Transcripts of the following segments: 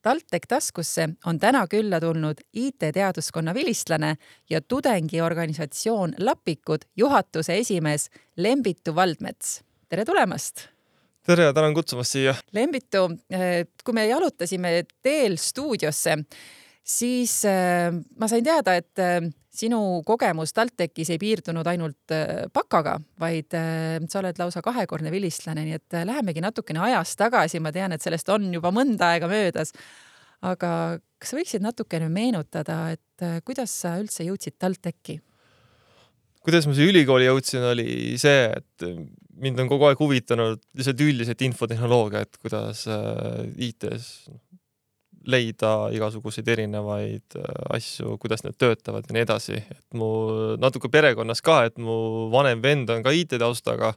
TalTech taskusse on täna külla tulnud IT-teaduskonna vilistlane ja tudengiorganisatsioon Lapikud juhatuse esimees Lembitu Valdmets. Tere tulemast! Tere, tänan kutsumast siia. Lembitu, kui me alutasime teel stuudiosse, siis ma sain teada, et sinu kogemus TalTechis ei piirdunud ainult pakaga, vaid sa oled lausa kahekordne vilistlane, nii et lähemegi natukene ajas tagasi. Ma tean, et sellest on juba mõnda aega möödas. Aga kas sa võiksid natukene meenutada, et kuidas sa üldse jõudsid TalTechi? Kuidas ma siia ülikooli jõudsin, oli see, et mind on kogu aeg huvitanud lihtsalt üldiselt infotehnoloogia, et kuidas IT-s leida igasuguseid erinevaid asju, kuidas need töötavad ja nii edasi. Et mu natuke perekonnas ka, et mu vanem vend on ka IT-taustaga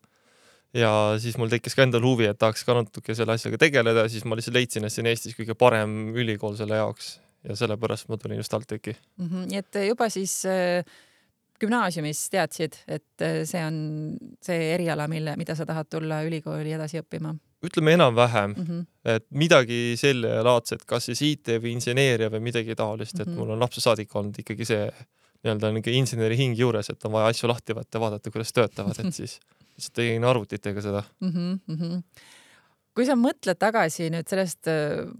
ja siis mul tekkis ka endal huvi, et tahaks ka natuke selle asjaga tegeleda ja siis ma lihtsalt leidsin, et see on Eestis kõige parem ülikool selle jaoks ja sellepärast ma tulin just TalTechi. Nii et juba siis gümnaasiumis teadsid, et see on see eriala, mida sa tahad tulla ülikooli edasi õppima? Ütleme enam-vähem, et midagi selle laadset, kas siis IT või inseneeria või midagi taolist, et mul on lapse saadik olnud ikkagi see nii-öelda inseneri hing juures, et on vaja asju lahti võtta ja vaadata, kuidas töötavad, et siis tegin arvutitega seda. Kui sa mõtled tagasi nüüd sellest,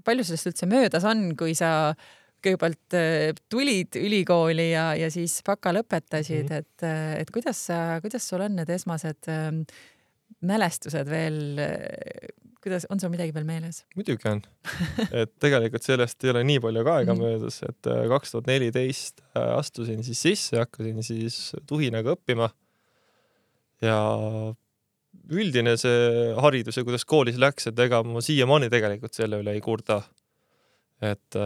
palju sellest üldse möödas on, kui sa kõigepealt tulid ülikooli ja siis baka lõpetasid, et kuidas sul on need esmased mälestused veel, kuidas on sul midagi veel meeles? Muidugi on. Et tegelikult sellest ei ole nii palju ka aega möödas, et 2014 astusin siis sisse ja hakkasin siis tuhinaga õppima ja üldine see haridus ja kuidas koolis läks, et ega ma siiamaani tegelikult selle üle ei kurda. Et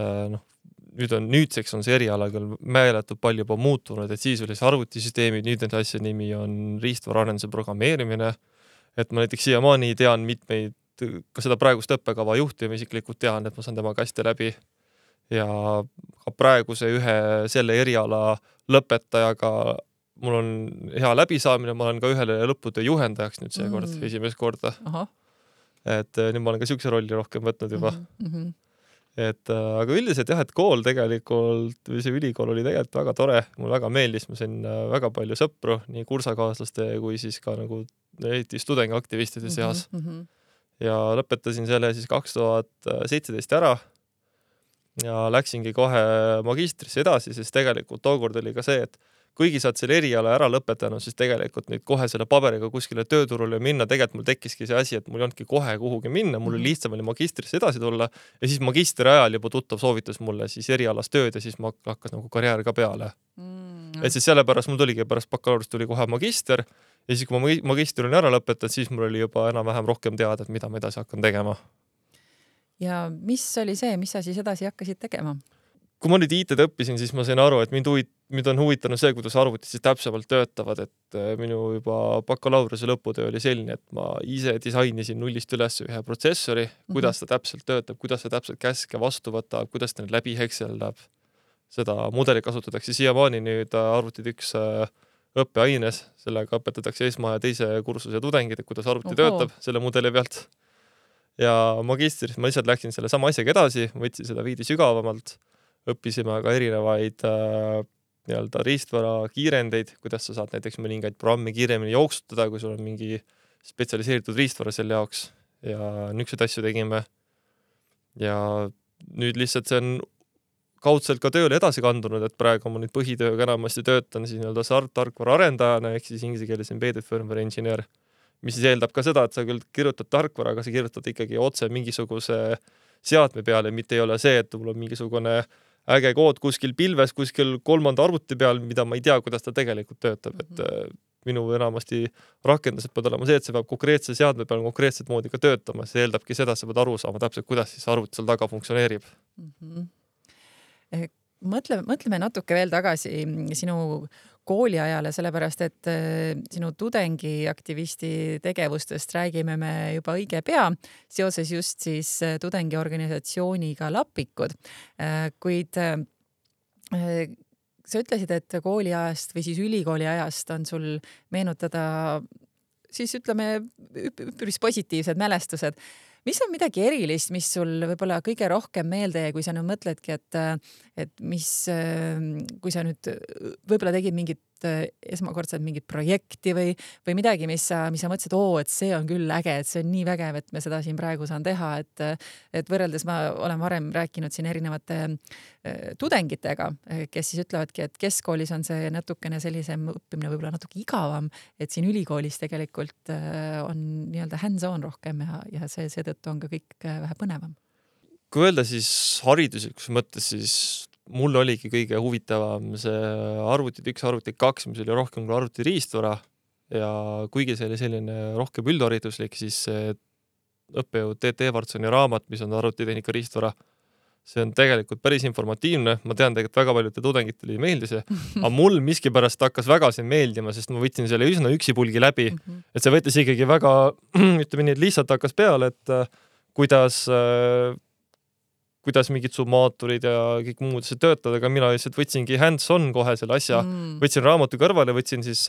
nüüdseks on see eriala küll meeletult palju juba muutunud, et siis oli see arvutisüsteemid, nüüd nende asja nimi on riistvararenduse programmeerimine, et ma näiteks siiamaani tean mitmeid, ka seda praegust õppekava juhti ma isiklikult tean, et ma saan temaga hästi läbi ja ka praeguse ühe selle eriala lõpetajaga mul on hea läbisaamine, ma olen ka ühele lõputöö juhendajaks nüüd seekord, esimest korda. Et nüüd ma olen ka siukse rolli rohkem võtnud juba. Aga üldiselt jah, et kool tegelikult, või see ülikool oli tegelikult väga tore, mul väga meeldis, ma sain väga palju sõpru, nii kursakaaslaste kui siis ka nagu studengiaktivistide seas. Ja lõpetasin selle siis 2017 ära ja läksingi kohe magistrisse edasi, sest tegelikult tookord oli ka see, et kuigi saad selle eriala ära lõpetanud, siis tegelikult nüüd kohe selle paberiga kuskile tööturule minna, tegelikult mul tekkiski see asi, et mul ei olnudki kohe kuhugi minna, mul oli lihtsam oli magistrisse edasi tulla ja siis magistri ajal juba tuttav soovitas mulle siis erialas tööd ja siis ma hakkas nagu karjäär ka peale. Et siis sellepärast mul tuligi pärast bakalaureust tuli kohe magister ja siis kui ma magistri olin ära lõpetanud, siis mul oli juba enam-vähem rohkem teada, et mida ma edasi hakkan tegema. Ja mis oli see, mis sa siis edasi hakkasid tegema? Kui ma nüüd IT-d õppisin, siis ma sain aru, et mind on huvitanud see, kuidas arvutid siis täpsemalt töötavad, et minu juba bakalaureuse lõputöö oli selline, et ma ise disainisin nullist üles ühe protsessori, kuidas ta täpselt töötab, kuidas ta täpselt käske vastu võtab, kuidas ta nüüd läbi hekseldab. Seda mudeli kasutatakse siiamaani nüüd arvutid üks õppeaines, sellega õpetatakse esma- ja teise kursuse tudengid, et kuidas arvuti töötab selle mudeli pealt. Ja magistris ma lihtsalt läksin selle sama asjaga edasi, võtsin seda veidi sügavamalt. Õppisime ka erinevaid nii-öelda riistvara kiirendeid, kuidas sa saad näiteks mõningaid programmi kiiremini jooksutada, kui sul on mingi spetsialiseeritud riistvara selle jaoks ja niisuguseid asju tegime. Ja nüüd lihtsalt see on kaudselt ka tööle edasi kandunud, et praegu ma nüüd põhitööga enamasti töötan siis nii-öelda tarkvara arendajana ehk siis inglise keeles embedded firmware engineer, mis siis eeldab ka seda, et sa küll kirjutad tarkvara, aga sa kirjutad ikkagi otse mingisuguse seadme peale, mitte ei ole see, et mul on mingisugune äge kood kuskil pilves, kuskil kolmanda arvuti peal, mida ma ei tea, kuidas ta tegelikult töötab. Et minu enamasti rakendused peavad olema see, et see peab konkreetse seadme peal konkreetset moodi ka töötama. See eeldabki seda, et sa pead aru saama täpselt, kuidas siis arvuti seal taga funktsioneerib. Mõtleme natuke veel tagasi sinu kooliajale, sellepärast et sinu tudengiaktivisti tegevustest räägime me juba õige pea seoses just siis tudengiorganisatsiooniga Lapikud. Kuid sa ütlesid, et kooliajast või siis ülikooli ajast on sul meenutada siis ütleme üpris positiivsed mälestused. mis on midagi erilist, mis sul võib-olla kõige rohkem meelde jäi, kui sa nüüd mõtledki, et mis, kui sa nüüd võib-olla tegid mingit esmakordselt mingit projekti või midagi, mis sa mõtlesid, et see on küll äge, et see on nii vägev, et me seda siin praegu saan teha, et võrreldes ma olen varem rääkinud siin erinevate tudengitega, kes siis ütlevadki, et keskkoolis on see natukene sellisem õppimine võib-olla natuke igavam, et siin ülikoolis tegelikult on nii-öelda hands-on rohkem ja seetõttu on ka kõik vähe põnevam. Kui öelda siis hariduslikus mõttes, siis mul oligi kõige huvitavam see arvutid 1, arvutid 2, mis oli rohkem kui arvuti riistvara ja kuigi see oli selline rohkem üldhariduslik, siis see õppejõud T.T. Evartsoni raamat, mis on arvutitehnika riistvara, see on tegelikult päris informatiivne. Ma tean tegelikult väga paljud tudengitele ei meeldi see, aga mul miskipärast hakkas väga see meeldima, sest ma võtsin selle üsna üksipulgi läbi, et see võttis ikkagi väga, ütleme nii, et lihtsalt hakkas peale, et kuidas mingid summaatorid ja kõik muud see töötavad, aga mina lihtsalt võtsingi hands-on kohe selle asja, võtsin raamatu kõrvale, võtsin siis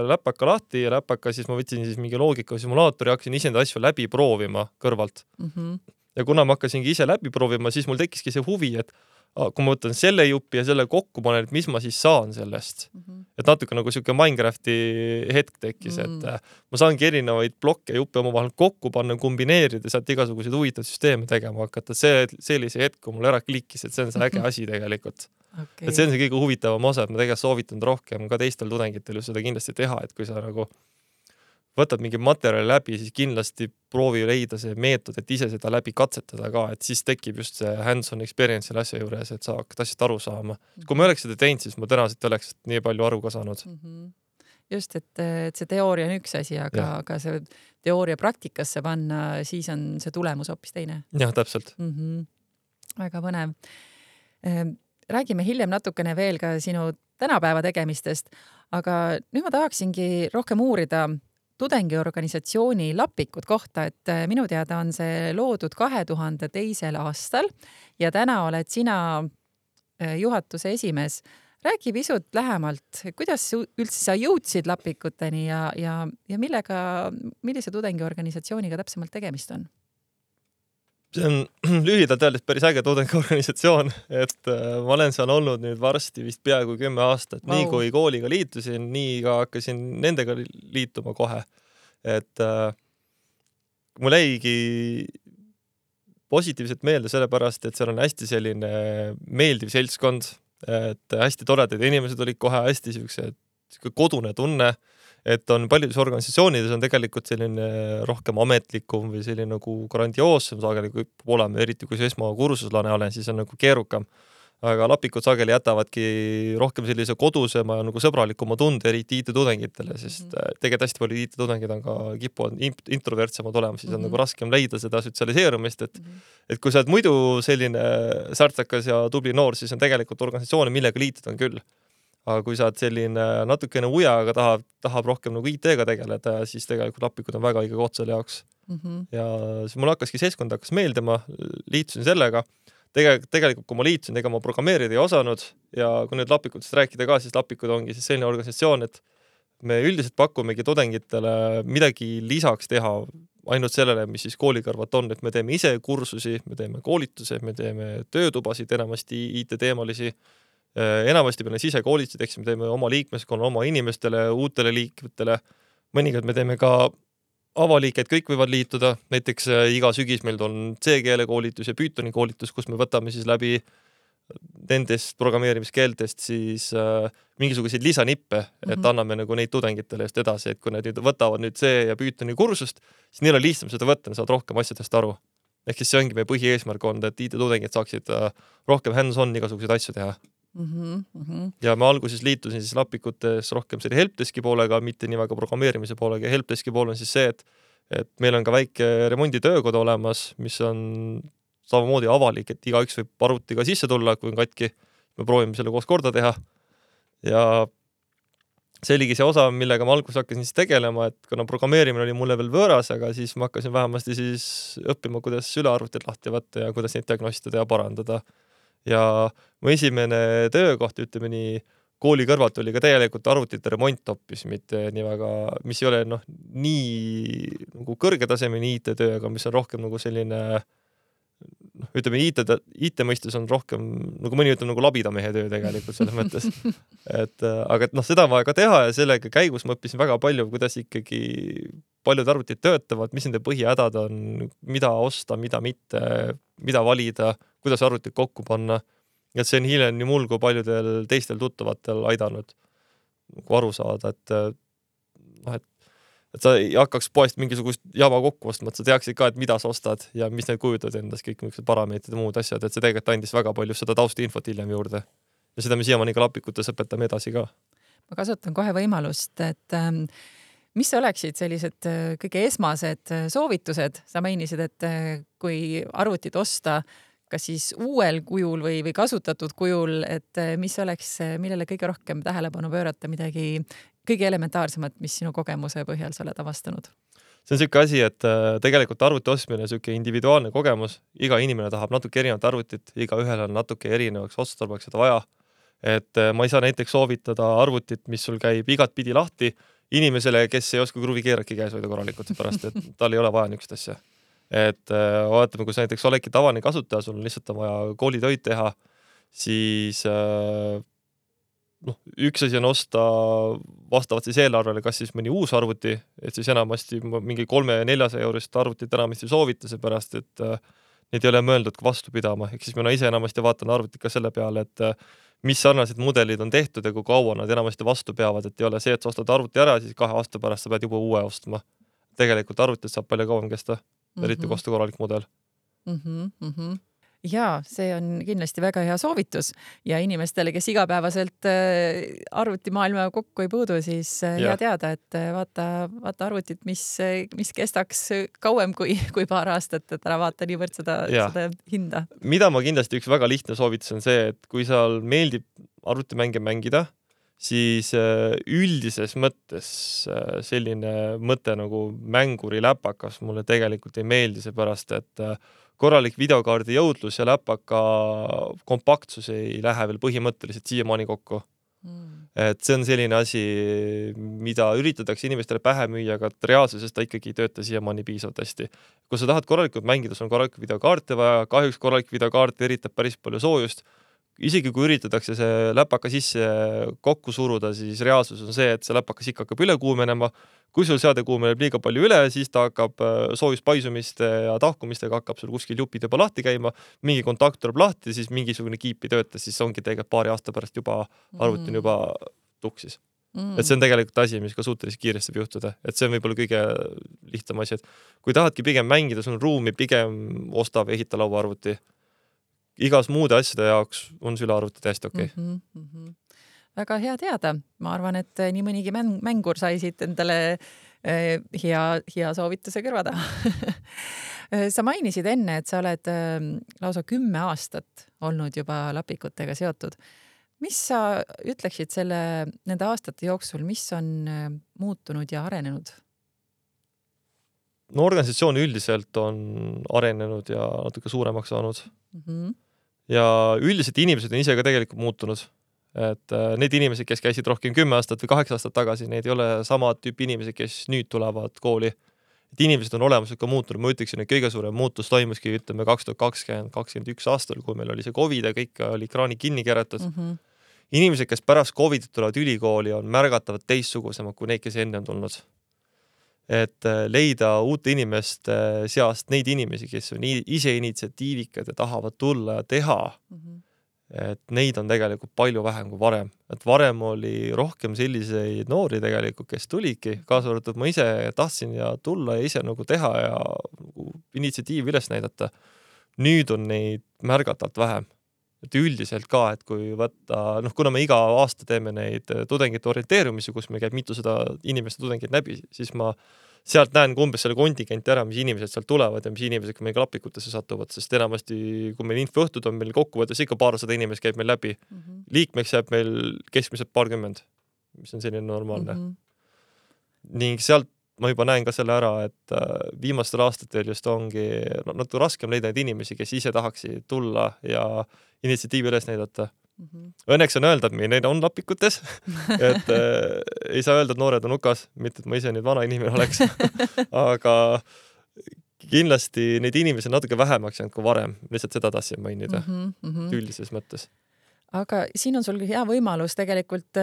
läpaka lahti ja läpaka siis ma võtsin siis mingi loogika simulaatori ja hakkasin ise enda asju läbi proovima kõrvalt. Ja kuna ma hakkasingi ise läbi proovima, siis mul tekkiski see huvi, et kui ma võtan selle jupi ja selle kokku panen, et mis ma siis saan sellest. Et natuke nagu selline Minecrafti hetk tekkis, et ma saangi erinevaid blokke ja juppe omavahel kokku panna, kombineerida, sealt igasuguseid huvitavaid süsteeme tegema hakata. See oli see hetk, kui mul ära klikkis, et see on see äge asi tegelikult. Okay. Et see on see kõige huvitavam osa, et ma tegelikult soovitan rohkem ka teistel tudengitel seda kindlasti teha, et kui sa nagu võtad mingi materjali läbi, siis kindlasti proovi leida see meetod, et ise seda läbi katsetada ka, et siis tekib just see hands-on experience selle asja juures, et sa hakkad asjast aru saama. Kui ma oleks seda teinud, siis ma tõenäoliselt oleks nii palju aru ka saanud. Just, et see teooria on üks asi, aga see teooria praktikasse panna, siis on see tulemus hoopis teine. Jah, täpselt. Väga põnev. Räägime hiljem natukene veel ka sinu tänapäeva tegemistest, aga nüüd ma tahaksingi rohkem uurida tudengiorganisatsiooni Lappikud kohta, et minu teada on see loodud 2002. aastal ja täna oled sina juhatuse esimees. Räägi pisut lähemalt, kuidas üldse sa jõudsid Lappikuteni ja millise tudengiorganisatsiooniga täpsemalt tegemist on? See on lühidalt öeldes päris äge tudengiorganisatsioon, et ma olen seal olnud nüüd varsti vist peaaegu 10 aastat. Nii kui kooliga liitusin, nii ka hakkasin nendega liituma kohe. Et mul jäigi positiivselt meelde sellepärast, et seal on hästi selline meeldiv seltskond, et hästi toredad inimesed olid kohe hästi kodune tunne, et on paljudes organisatsioonides on tegelikult selline rohkem ametlikum või selline nagu grandioossem sageli kui oleme, eriti kui see esmakursuslane olen, siis on nagu keerukam. Aga Lappikud sageli jätavadki rohkem sellise kodusema ja nagu sõbralikuma tunde eriti IT-tudengitele, sest tegelikult hästi palju IT-tudengid on ka kipuvad introvertsemad olema, siis on nagu raskem leida seda sotsialiseerumist, et kui sa oled muidu selline särtsakas ja tubli noor, siis on tegelikult organisatsioone, millega liitud on küll. Aga kui sa oled selline natukene uja, aga tahab rohkem nagu IT-ga tegeleda, siis tegelikult Lappikud on väga õige koht selle jaoks. Ja siis mul hakkaski seltskond hakkas meeldima, liitusin sellega. Tegelikult kui ma liitusin, ega ma programmeerida ei osanud ja kui nüüd Lappikutest rääkida ka, siis Lappikud ongi siis selline organisatsioon, et me üldiselt pakumegi tudengitele midagi lisaks teha ainult sellele, mis siis koolikõrvat on, et me teeme ise kursusi, me teeme koolituse, me teeme töötubasid, enamasti IT-teemalisi. Enamasti peale ise koolitsid, eks me teeme oma liikmeskonna, oma inimestele, uutele liikmetele. Mõnikord me teeme ka avaliiked, kõik võivad liituda. Näiteks iga sügis meil on C-keele koolitus ja Pythoni koolitus, kus me võtame siis läbi nendest programmeerimiskeeltest siis mingisuguseid lisanippe, et anname nagu neid tudengitele just edasi, et kui nad nüüd võtavad nüüd C ja Pythoni kursust, siis neil on lihtsam seda võtta, saad rohkem asjadest aru. Ehk siis see ongi meie põhieesmärk olnud, et IT-tudengid saaksid rohkem hands-on igasuguseid asju teha. Ja ma alguses liitusin siis Lappikutes rohkem selle helpdeski poolega, mitte nii väga programmeerimise poolega. Helpdeski pool on siis see, et meil on ka väike remonditöökod olemas, mis on samamoodi avalik, et igaüks võib arvutiga sisse tulla, kui on katki. Me proovime selle koos korda teha. Ja see oligi see osa, millega ma alguses hakkasin siis tegelema, et kuna programmeerimine oli mulle veel võõras, aga siis ma hakkasin vähemasti siis õppima, kuidas ülearvutid lahti võtta ja kuidas neid diagnostada ja parandada. Ja mu esimene töökoht, ütleme nii, kooli kõrvalt oli ka täielikult arvutite remont hoopis, mitte nii väga, mis ei ole nii nagu kõrgetasemeni IT-töö, aga mis on rohkem nagu selline, ütleme, IT mõistes on rohkem, nagu mõni ütleb, nagu labidamehe töö tegelikult selles mõttes. Aga seda on vaja ka teha ja sellega käigus ma õppisin väga palju, kuidas ikkagi paljud arvutid töötavad, mis nende põhihädad on, mida osta, mida mitte, mida valida, kuidas arvutit kokku panna. Et see on hiljem nii mul kui paljudel teistel tuttavatel aidanud aru saada, et sa ei hakkaks poest mingisugust jama kokku ostma, et sa teaksid ka, et mida sa ostad ja mis need kujutavad endas, kõik mingid parameetrid ja muud asjad, et see tegelikult andis väga palju seda taustainfot hiljem juurde. Ja seda me siiamaani ka lapikutes õpetame edasi ka. Ma kasutan kohe võimalust, et mis oleksid sellised kõige esmased soovitused? Sa mainisid, et kui arvutit osta, kas siis uuel kujul või kasutatud kujul, et mis oleks, millele kõige rohkem tähelepanu pöörata, midagi kõige elementaarsemat, mis sinu kogemuse põhjal sa oled avastanud? See on selline asi, et tegelikult arvuti ostmine on selline individuaalne kogemus. Iga inimene tahab natuke erinevat arvutit, iga ühel on natuke erinevaks otstarbeks seda vaja. Et ma ei saa näiteks soovitada arvutit, mis sul käib igat pidi lahti inimesele, kes ei oska kruvi keeraki käes hoida korralikult, pärast et tal ei ole vaja niisugust asja. Et vaatame, kui sa näiteks oledki tavaline kasutaja, sul on lihtsalt vaja koolitöid teha, siis üks asi on osta vastavalt siis eelarvele, kas siis mõni uus arvuti, et siis enamasti mingi 300-400 eurist arvutit enamasti soovita, seepärast, et need ei ole mõeldud vastu pidama. Ehk siis mina ise enamasti vaatan arvutit ka selle peale, et mis sarnased mudelid on tehtud ja kui kaua nad enamasti vastu peavad, et ei ole see, et sa ostad arvuti ära, siis 2 aasta pärast sa pead juba uue ostma. Tegelikult arvutit saab palju kauem kesta. Eriti kosta korralik mudel. Ja see on kindlasti väga hea soovitus ja inimestele, kes igapäevaselt arvutimaailma kokku ei puudu, siis hea teada, et vaata arvutit, mis kestaks kauem kui paar aastat, et ära vaata niivõrd seda hinda. Mida ma kindlasti üks väga lihtne soovitus on see, et kui seal meeldib arvutimänge mängida, siis üldises mõttes selline mõte nagu mänguri läpakas mulle tegelikult ei meeldi, seepärast, et korralik videokaardi jõudlus ja läpaka kompaktsus ei lähe veel põhimõtteliselt siiamaani kokku. Et see on selline asi, mida üritatakse inimestele pähe müüa, aga reaalsuses ta ikkagi ei tööta siiamaani piisavalt hästi. Kui sa tahad korralikult mängida, sul on korralik videokaarte vaja, kahjuks korralik videokaart eritab päris palju soojust. Isegi kui üritatakse see läpaka sisse kokku suruda, siis reaalsus on see, et see läpakas ikka hakkab üle kuumenema. Kui sul seade kuumeneb liiga palju üle, siis ta hakkab soojuspaisumiste ja tahkumistega hakkab sul kuskil jupid juba lahti käima, mingi kontakt tuleb lahti, siis mingisugune kiip ei tööta, siis ongi tegelikult paari aasta pärast juba arvutin juba tuksis. Et see on tegelikult asi, mis ka suhteliselt kiiresti võib juhtuda. Et see on võib-olla kõige lihtsam asi, et kui tahadki pigem mängida, sul on ruumi, pigem osta või ehita laua arvuti. Igas muude asjade jaoks on süle arvuti täiesti okei. Väga hea teada. Ma arvan, et nii mõnigi mängur sai siit endale hea soovituse kõrvada. Sa mainisid enne, et sa oled lausa 10 aastat olnud juba lapikutega seotud. Mis sa ütleksid nende aastate jooksul, mis on muutunud ja arenenud? No organisatsioon üldiselt on arenenud ja natuke suuremaks saanud. Ja üldiselt inimesed on ise ka tegelikult muutunud. Et need inimesed, kes käisid rohkem 10 aastat või 8 aastat tagasi, need ei ole sama tüüpi inimesed, kes nüüd tulevad kooli. Et inimesed on olemuslikult ka muutunud. Ma ütleksin, et kõige suurem muutus toimuski 2020-2021 aastal, kui meil oli see COVID ja kõik oli kraani kinni keeratud. Inimesed, kes pärast COVID tulevad ülikooli, on märgatavad teistsugusemad kui need, kes enne on tulnud. Et leida uute inimeste seast neid inimesi, kes on ise initsiatiivikad ja tahavad tulla ja teha. Et neid on tegelikult palju vähem kui varem. Et varem oli rohkem selliseid noori tegelikult, kes tulidki. Kaasa arvatud ma ise tahtsin ja tulla ja ise nagu teha ja initsiatiivi üles näidata. Nüüd on neid märgatavalt vähem. Et üldiselt ka, et kui võtta, kuna me iga aasta teeme neid tudengite orienteerumisi, kus me käib mitusada inimeste tudengid läbi, siis ma sealt näen umbes selle kontingenti ära, mis inimesed sealt tulevad ja mis inimesed meil lapikutesse satuvad, sest enamasti, kui meil infoõhtud on meil kokkuvõttes ikka paarsada inimest käib meil läbi. Liikmeks jääb meil keskmiselt 20, mis on selline normaalne. Ning sealt ma juba näen ka selle ära, et viimastel aastatel just ongi natuke raskem leida neid inimesi, kes ise tahaksid tulla ja initsiatiivi üles näidata. Õnneks on öelda, et neid on lapikutes, et ei saa öelda, et noored on hukas, mitte et ma ise nüüd vana inimene oleks, aga kindlasti neid inimesi on natuke vähemaks jäänud kui varem, lihtsalt seda tahtsin mainida üldises mõttes. Aga siin on sul hea võimalus tegelikult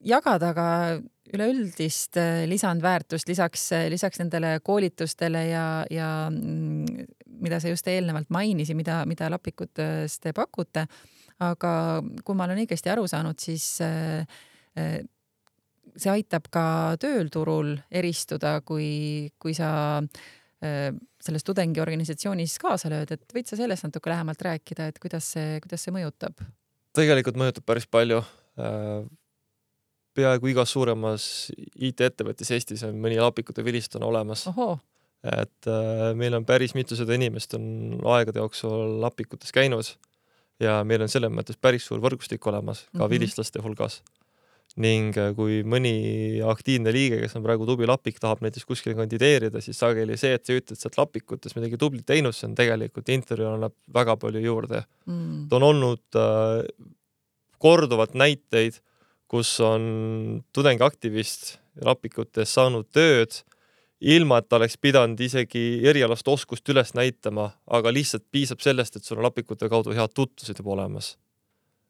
jagada ka üleüldist lisandväärtust lisaks nendele koolitustele ja mida sa just eelnevalt mainisid, mida lapikutest te pakute. Aga kui ma olen õigesti aru saanud, siis see aitab ka tööturul eristuda, kui sa selles tudengiorganisatsioonis kaasa lööd, et võid sa sellest natuke lähemalt rääkida, et kuidas see mõjutab? Tegelikult mõjutab päris palju. Peaaegu igas suuremas IT-ettevõttes Eestis on mõni lapikute vilistuna olemas. Oho. Et meil on päris mitusada inimest on aegade jooksul lapikutes käinud ja meil on selles mõttes päris suur võrgustik olemas ka vilistlaste hulgas. Ning kui mõni aktiivne liige, kes on praegu tubli lapik, tahab näiteks kuskil kandideerida, siis sageli see, et sa ütled sealt lapikutes midagi tublit teinud, see on tegelikult intervjuul annab väga palju juurde. Ta on olnud korduvalt näiteid, kus on tudengiaktivist lapikutes saanud tööd, ilma et ta oleks pidanud isegi erialast oskust üles näitama, aga lihtsalt piisab sellest, et sul on lapikute kaudu head tutvused juba olemas.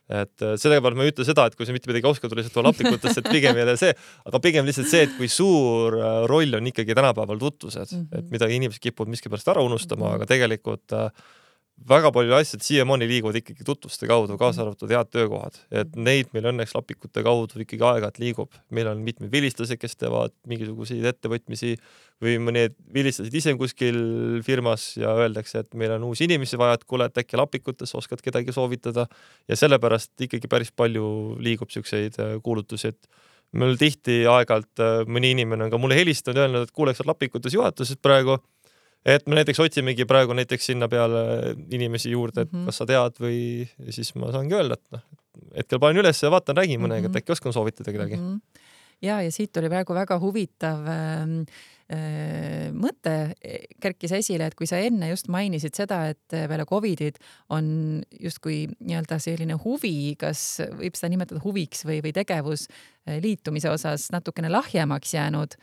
Et selle pealt ma ei ütle seda, et kui sa mitte midagi oskad, lihtsalt on lapikutest, et pigem ei ole see, aga pigem lihtsalt see, et kui suur roll on ikkagi tänapäeval tutvused, et mida inimesed kipuvad miskipärast ära unustama, aga tegelikult väga palju asjad siiamaani liiguvad ikkagi tutvuste kaudu, kaasa arvatud head töökohad. Et neid meil õnneks lapikute kaudu ikkagi aeg-ajalt liigub. Meil on mitmed vilistlased, kes teevad mingisuguseid ettevõtmisi või mõned vilistlased ise kuskil firmas ja öeldakse, et meil on uusi inimesi vaja, et kuule, et äkki lapikutes oskad kedagi soovitada ja sellepärast ikkagi päris palju liigub selliseid kuulutusi, et meil tihti aeg-ajalt mõni inimene on ka mulle helistanud ja öelnud, et kuuleks lapikutes juhatuses praegu, et me näiteks otsimegi praegu näiteks sinna peale inimesi juurde, et kas sa tead või siis ma saangi öelda, et hetkel panen üles ja vaatan, räägin mõnega, et äkki oskan soovitada kedagi. Ja siit oli praegu väga huvitav mõte kerkis esile, et kui sa enne just mainisid seda, et peale Covidid on justkui nii-öelda selline huvi, kas võib seda nimetada huviks või tegevus liitumise osas natukene lahjemaks jäänud,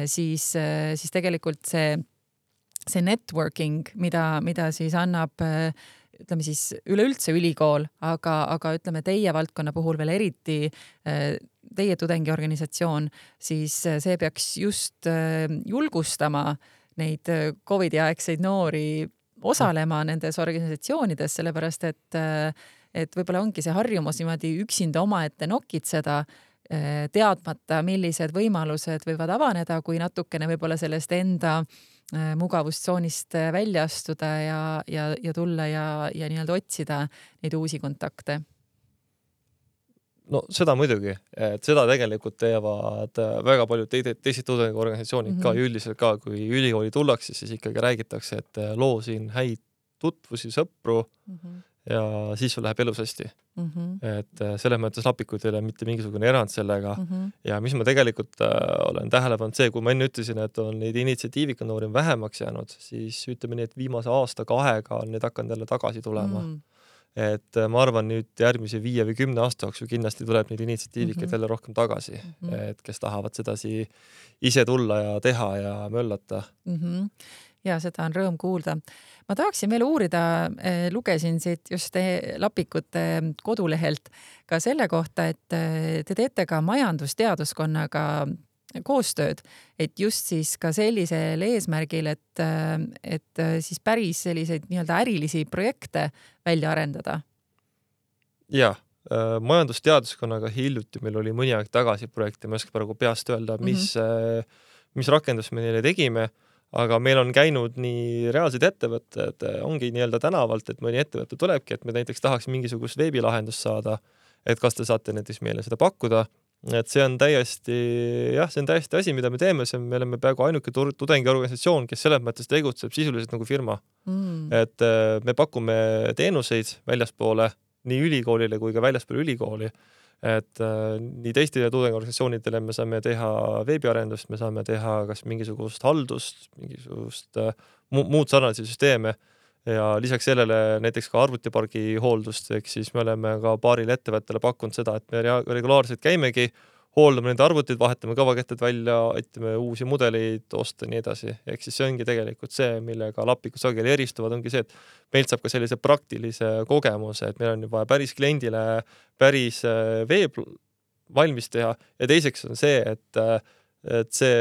siis tegelikult see networking, mida siis annab ütleme siis üleüldse ülikool, aga ütleme teie valdkonna puhul veel eriti teie tudengiorganisatsioon, siis see peaks just julgustama neid Covidi aegseid noori osalema nendes organisatsioonides, sellepärast et võib-olla ongi see harjumus niimoodi üksinda omaette nokitseda, teadmata, millised võimalused võivad avaneda, kui natukene võib-olla sellest enda mugavustsoonist välja astuda ja tulla ja nii-öelda otsida neid uusi kontakte. No seda muidugi, et seda tegelikult teevad väga paljud teised tudengiorganisatsioonid ka üldiselt ka, kui ülikooli tullakse, siis ikkagi räägitakse, et loo siin häid tutvusi, sõpru ja siis sul läheb elus hästi. Et selles mõttes lapikud ei ole mitte mingisugune erand sellega ja mis ma tegelikult olen tähele pannud see, kui ma enne ütlesin, et on neid initsiatiivika noori vähemaks jäänud, siis ütleme nii, et viimase aasta-kahega on need hakanud jälle tagasi tulema. Et ma arvan nüüd järgmise 5 või 10 aasta jooksul kindlasti tuleb neid initsiatiivikat jälle rohkem tagasi, et kes tahavad sedasi ise tulla ja teha ja möllata. Ja seda on rõõm kuulda. Ma tahaksin veel uurida, lugesin siit just lapikute kodulehelt ka selle kohta, et te teete ka majandusteaduskonnaga koostööd, et just siis ka sellisel eesmärgil, et siis päris selliseid nii-öelda ärilisi projekte välja arendada. Ja, majandusteaduskonnaga hiljuti meil oli mõni aeg tagasi projekte, ma ei oska praegu peast öelda, mis rakendus me neile tegime, aga meil on käinud nii reaalsed ettevõtted, ongi nii-öelda tänavalt, et mõni ettevõte tulebki, et me näiteks tahaks mingisugust veebilahendust saada, et kas te saate näiteks meile seda pakkuda. Et see on täiesti asi, mida me teeme, me oleme peaaegu ainuke tudengiorganisatsioon, kes selles mõttes tegutseb sisuliselt nagu firma. Et me pakume teenuseid väljaspoole nii ülikoolile kui ka väljaspoole ülikooli. Et nii teistele tudengiorganisatsioonidele me saame teha veebiarendust, me saame teha kas mingisugust haldust, mingisugust muud sarnalisi süsteeme, ja lisaks sellele näiteks ka arvutipargi hooldust, ehk siis me oleme ka paarile ettevõttele pakkunud seda, et me regulaarselt käimegi, hooldame nende arvutid, vahetame kõvakettad välja, aitame uusi mudeleid osta ja nii edasi. Ehk siis see ongi tegelikult see, millega Lapikud sageli eristuvad, ongi see, et meilt saab ka sellise praktilise kogemuse, et meil on juba päris kliendile päris veeb valmis teha ja teiseks on see, et see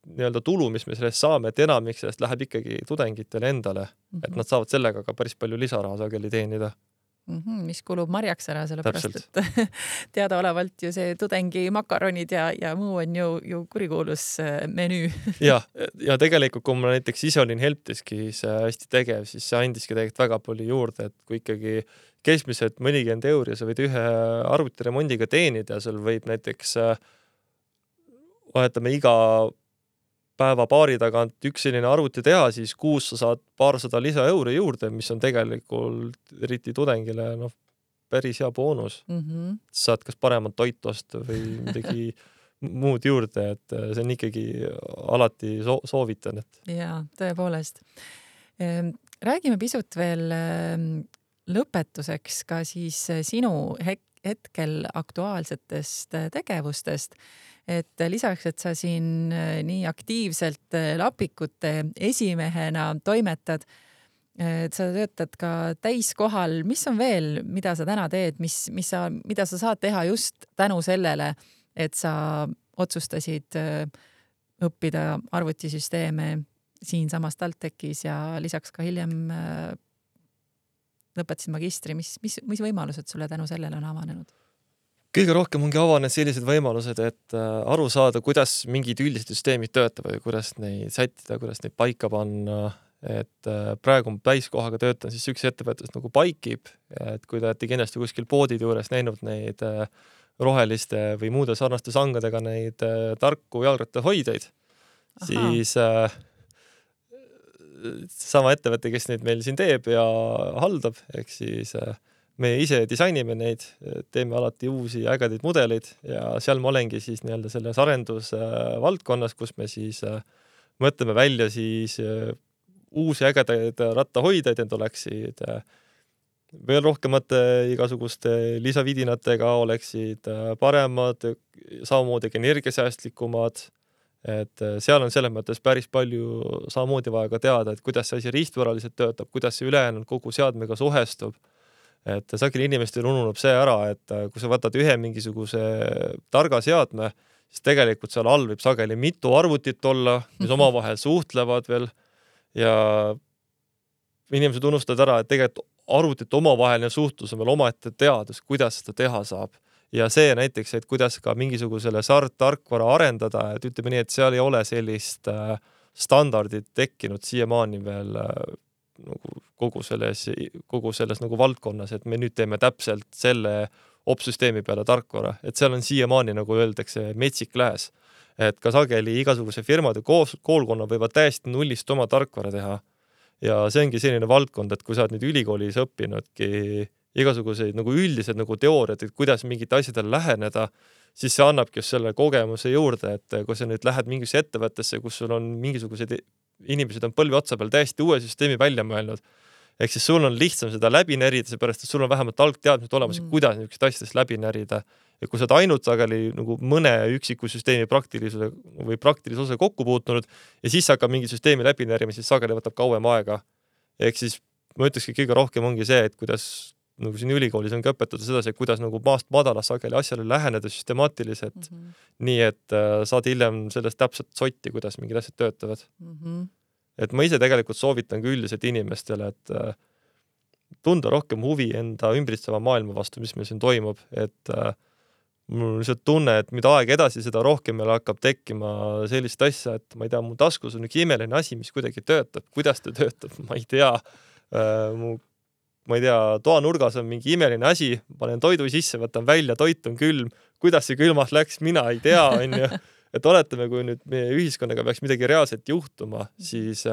nii-öelda tulu, mis me sellest saame, et enamik sellest läheb ikkagi tudengitele endale, et nad saavad sellega ka päris palju lisaraha sageli teenida. Mis kulub marjaks ära, sellepärast, et teadaolevalt ju see tudengi makaronid ja muu on ju kurikuulus menüü. ja tegelikult, kui ma näiteks ise olin Helpdeskis hästi tegev, siis see andiski tegelikult väga palju juurde, et kui ikkagi keskmiselt mõnikümmend euri sa võid ühe arvutiremondiga teenida ja sul võib näiteks vahetame iga päeva paari tagant üks selline arvuti teha, siis kuus sa saad paarsada lisaeuri juurde, mis on tegelikult eriti tudengile päris hea boonus. Saad kas paremat toitu osta või midagi muud juurde, et see on ikkagi alati soovitan. Jaa, tõepoolest. Räägime pisut veel lõpetuseks ka siis sinu hetkel aktuaalsetest tegevustest. Et lisaks, et sa siin nii aktiivselt Lapikute esimehena toimetad, et sa töötad ka täiskohal. Mis on veel, mida sa täna teed, mida sa saad teha just tänu sellele, et sa otsustasid õppida arvutisüsteeme siinsamas TalTechis ja lisaks ka hiljem lõpetasid magistri. Mis võimalused sulle tänu sellele on avanenud? Kõige rohkem ongi avanenud sellised võimalused, et aru saada, kuidas mingid üldised süsteemid töötavad ja kuidas neid sättida, kuidas neid paika panna. Et praegu täiskohaga töötan siis üks ettevõttes nagu Paikib, et kui te olete kindlasti kuskil poodide juures näinud neid roheliste või muude sarnaste sangadega neid tarku jalgrattahoidjaid, siis sama ettevõte, kes neid meil siin teeb ja haldab, ehk siis me ise disainime neid, teeme alati uusi ägedaid mudeleid ja seal ma olengi siis nii-öelda selles arendusvaldkonnas, kus me siis mõtleme välja siis uusi ägedaid rattahoidjaid, need oleksid veel rohkemate igasuguste lisavidinatega, oleksid paremad, samamoodi energiasäästlikumad. Et seal on selles mõttes päris palju samamoodi vaja ka teada, et kuidas see asi riistvõraliselt töötab, kuidas see ülejäänud kogu seadmega suhestub. Et sageli inimestel ununeb see ära, et kui sa võtad ühe mingisuguse targa seadme, siis tegelikult seal all võib sageli mitu arvutit olla, mis omavahel suhtlevad veel ja inimesed unustavad ära, et tegelikult arvutit omavaheline suhtlus on veel omaette teadus, kuidas seda teha saab. Ja see näiteks, et kuidas ka mingisugusele tarkvara arendada, et ütleme nii, et seal ei ole sellist standardit tekkinud siiamaani veel kogu selles nagu valdkonnas, et me nüüd teeme täpselt selle opsüsteemi peale tarkvara, et seal on siiamaani, nagu öeldakse, metsik lääs. Et ka sageli igasuguse firmade koolkonna võivad täiesti nullist oma tarkvara teha. Ja see ongi selline valdkond, et kui sa oled nüüd ülikoolis õppinudki igasuguseid nagu üldised nagu teooriad, et kuidas mingite asjadele läheneda, siis see annabki just selle kogemuse juurde, et kui sa nüüd lähed mingisse ettevõttesse, kus sul on mingisugused inimesed on põlvi otsa peal täiesti uue süsteemi välja mõelnud. Ehk siis sul on lihtsam seda läbi närida, seepärast, et sul on vähemalt algteadmised olemas, kuidas niisugust asjadest läbi närida. Ja kui sa oled ainult sageli nagu mõne üksiku süsteemi praktilise osa kokku puutunud ja siis hakkab mingi süsteemi läbi närima, siis sageli võtab kauem aega. Ehk siis ma ütlekski kõige rohkem ongi see, et kuidas nagu siin ülikoolis on ka õpetada sedasi, kuidas nagu maast madala sageli asjale läheneda süstemaatiliselt, nii et saad hiljem sellest täpselt sotti, kuidas mingid asjad töötavad. Et ma ise tegelikult soovitan ka üldiselt inimestele, et tunda rohkem huvi enda ümbritseva maailma vastu, mis meil siin toimub, et mul on lihtsalt tunne, et mida aeg edasi, seda rohkem meil hakkab tekkima sellist asja, et ma ei tea, mu taskus on üks imeline asi, mis kuidagi töötab. Kuidas ta töötab, ma ei tea. Ma ei tea, toanurgas on mingi imeline asi, panen toidu sisse, võtan välja, toit on külm. Kuidas see külmas läks, mina ei tea. Et oletame, kui nüüd meie ühiskonnaga peaks midagi reaalselt juhtuma, siis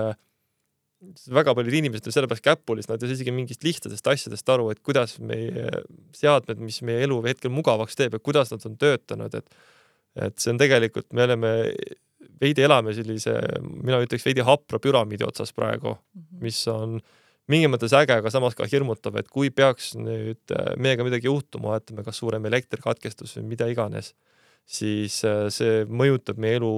väga paljud inimesed on sellepärast käpulis, nad ei isegi mingist lihtsatest asjadest aru, et kuidas meie seadmed, mis meie elu hetkel mugavaks teeb ja kuidas nad on töötanud. Et see on tegelikult, me oleme veidi elame sellise, mina ütleks veidi hapra püramiidi otsas praegu, mis on mingi mõttes äge, aga samas ka hirmutav, et kui peaks nüüd meiega midagi juhtuma, ütleme kas suurem elektrikatkestus või mida iganes, siis see mõjutab meie elu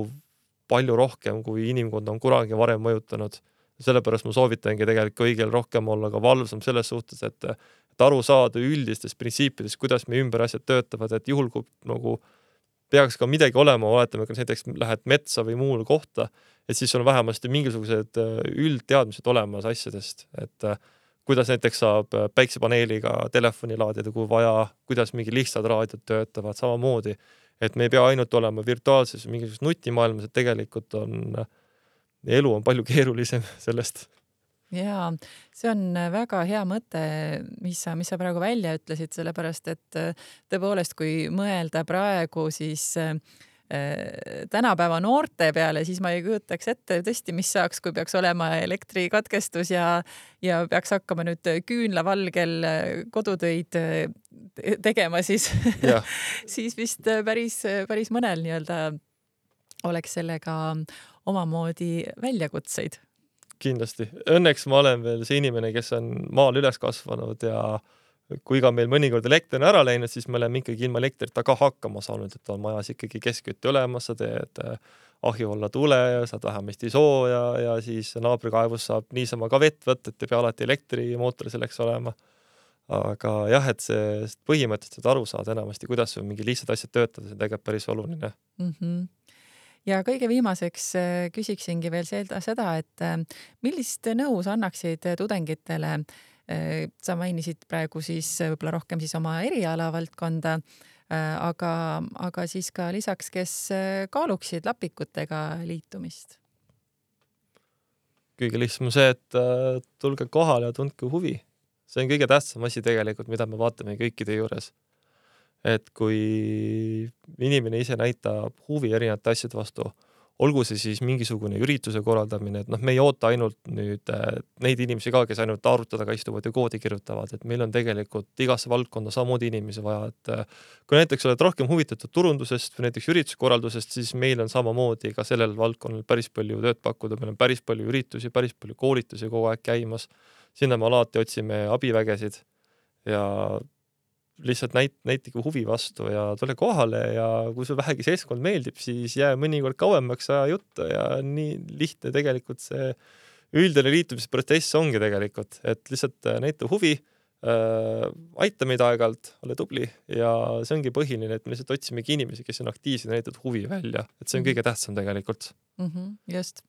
palju rohkem, kui inimkond on kunagi varem mõjutanud. Sellepärast ma soovitangi tegelikult kõigil rohkem olla ka valvsam selles suhtes, et aru saada üldistest printsiipidest, kuidas meie ümber asjad töötavad, et juhul kui nagu peaks ka midagi olema, oletame, kas näiteks lähed metsa või muule kohta, et siis on vähemasti mingisugused üldteadmised olemas asjadest, et kuidas näiteks saab päiksepaneeliga telefoni laadida, kui vaja, kuidas mingi lihtsad raadiod töötavad, samamoodi, et me ei pea ainult olema virtuaalses mingisuguses nutimaailmas, et tegelikult elu on palju keerulisem sellest. Jaa, see on väga hea mõte, mis sa praegu välja ütlesid, sellepärast et tõepoolest, kui mõelda praegu siis tänapäeva noorte peale, siis ma ei kujutaks ette tõesti, mis saaks, kui peaks olema elektrikatkestus ja peaks hakkama nüüd küünlavalgel kodutöid tegema, siis, siis vist päris mõnel nii-öelda oleks sellega omamoodi väljakutseid. Kindlasti. Õnneks ma olen veel see inimene, kes on maal üles kasvanud ja kui ka meil mõnikord elekter on ära läinud, siis me oleme ikkagi ilma elektrita ka hakkama saanud, et on majas ikkagi keskkütte olemas, sa teed ahju alla tule ja saad vähemasti sooja ja siis naabrikaevus saab niisama ka vett võtta, et ei pea alati elektrimootor selleks olema. Aga jah, et see põhimõtteliselt aru saada enamasti, kuidas mingi lihtsad asjad töötada, see on tegelikult päris oluline. Ja kõige viimaseks küsiksingi veel seda, et millist nõu sa annaksid tudengitele? Sa mainisid praegu siis võib-olla rohkem siis oma eriala valdkonda, aga siis ka lisaks, kes kaaluksid lapikutega liitumist? Kõige lihtsam on see, et tulge kohale ja tundke huvi. See on kõige tähtsam asi tegelikult, mida me vaatame kõikide juures. Et kui inimene ise näitab huvi erinevate asjade vastu, olgu see siis mingisugune ürituse korraldamine, et me ei oota ainult nüüd neid inimesi ka, kes ainult arvutada istuvad ja koodi kirjutavad, et meil on tegelikult igasse valdkonda samamoodi inimesi vaja, et kui näiteks oled rohkem huvitatud turundusest või näiteks ürituskorraldusest, siis meil on samamoodi ka sellel valdkonnal päris palju tööd pakkuda, meil on päris palju üritusi, päris palju koolitusi kogu aeg käimas, sinna me alati otsime abivägesid ja lihtsalt näitige huvi vastu ja tule kohale ja kui sul vähegi seltskond meeldib, siis jää mõnikord kauemaks aja juttu ja nii lihtne tegelikult see üldine liitumisprotsess ongi tegelikult, et lihtsalt näita huvi, aita meid aeg-ajalt, ole tubli ja see ongi põhiline, et me lihtsalt otsimegi inimesi, kes on aktiivsed ja näitavad huvi välja, et see on kõige tähtsam tegelikult. Just.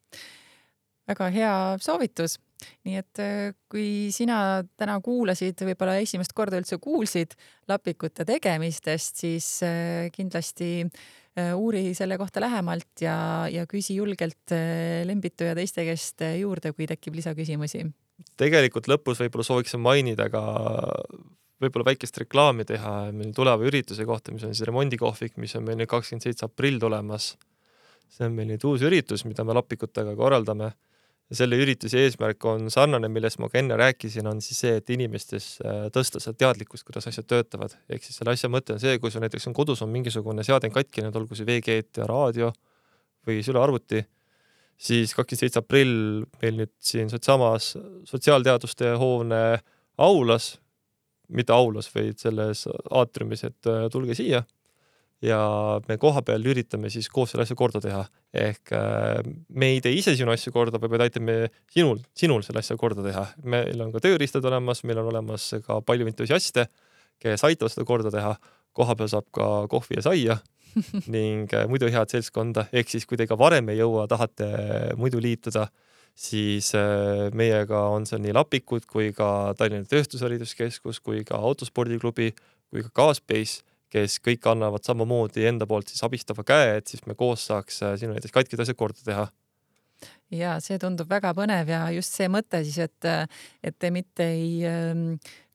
Väga hea soovitus. Nii et kui sina täna kuulasid, võib-olla esimest korda üldse kuulsid lapikute tegemistest, siis kindlasti uuri selle kohta lähemalt ja küsi julgelt Lembitu ja teiste käest juurde, kui tekib lisaküsimusi. Tegelikult lõpus võib-olla sooviksin mainida ka võib-olla väikest reklaami teha meil tuleva ürituse kohta, mis on siis remondikohvik, mis on meil nüüd 27. aprill tulemas. See on meil nüüd uus üritus, mida me lapikutega korraldame. Ja selle ürituse eesmärk on sarnane, millest ma ka enne rääkisin, on siis see, et inimestes tõsta seda teadlikkust, kuidas asjad töötavad. Ehk siis selle asja mõte on see, kui sul näiteks on kodus on mingisugune seade katkinud, olgu see VG-et ja raadio või süle arvuti, siis 27. aprill meil nüüd siin samas sotsiaalteaduste hoone aulas, mitte aulas, vaid selles aatriumis, et tulge siia. Ja me koha peal üritame siis koos selle asja korda teha. Ehk me ei tee ise sinu asja korda, vaid aitame sinul selle asja korda teha. Meil on ka tööriistad olemas, meil on olemas ka palju entusiaste, kes aitavad seda korda teha. Koha peal saab ka kohvi ja saia ning muidu head seltskonda. Ehk siis, kui te ka varem ei jõua, tahate muidu liituda, siis meiega on seal nii lapikud kui ka Tallinna Tööstushariduskeskus, kui ka autospordiklubi, kui ka Gaaspace, kes kõik annavad samamoodi enda poolt siis abistava käe, et siis me koos saaks sinu näiteks katkid asja korda teha. Ja see tundub väga põnev ja just see mõte siis, et te mitte ei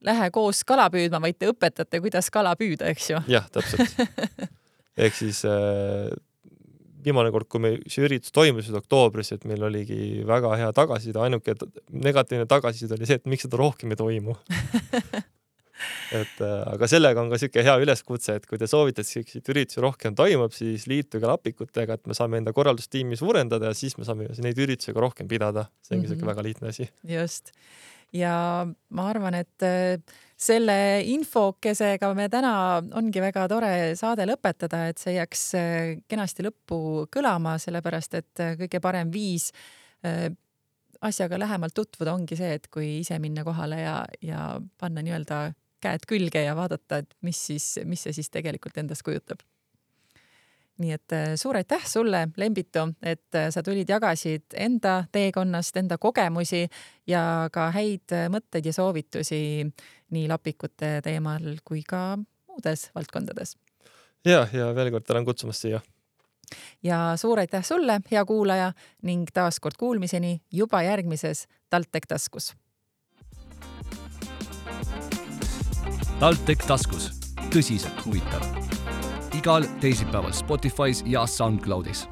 lähe koos kala püüdma, vaid te õpetate, kuidas kala püüda, eks ju? Jah, täpselt. Ehk siis viimane kord, kui me see üritus toimusid oktoobris, et meil oligi väga hea tagasiside, ainuke negatiivne tagasiside oli see, et miks seda rohkem ei toimu. aga sellega on ka siuke hea üleskutse, et kui te soovite, et selliseid üritusi rohkem toimub, siis liituge lapikutega, et me saame enda korraldustiimi suurendada ja siis me saame neid üritusi ka rohkem pidada. See ongi siuke väga lihtne asi. Just. Ja ma arvan, et selle infokesega me täna ongi väga tore saade lõpetada, et see jääks kenasti lõppu kõlama, sellepärast et kõige parem viis asjaga lähemalt tutvuda ongi see, et kui ise minna kohale ja panna nii-öelda käed külge ja vaadata, et mis see siis tegelikult endast kujutab. Nii et suur aitäh sulle, Lembito, et sa tulid, jagasid enda teekonnast, enda kogemusi ja ka häid mõtteid ja soovitusi nii lapikute teemal kui ka muudes valdkondades. Ja veel kord tänan kutsumast siia. Ja suur aitäh sulle, hea kuulaja, ning taas kord kuulmiseni juba järgmises TalTech taskus. TalTech taskus. Tõsiselt huvitav. Igal teisipäeval Spotify's ja SoundCloudis.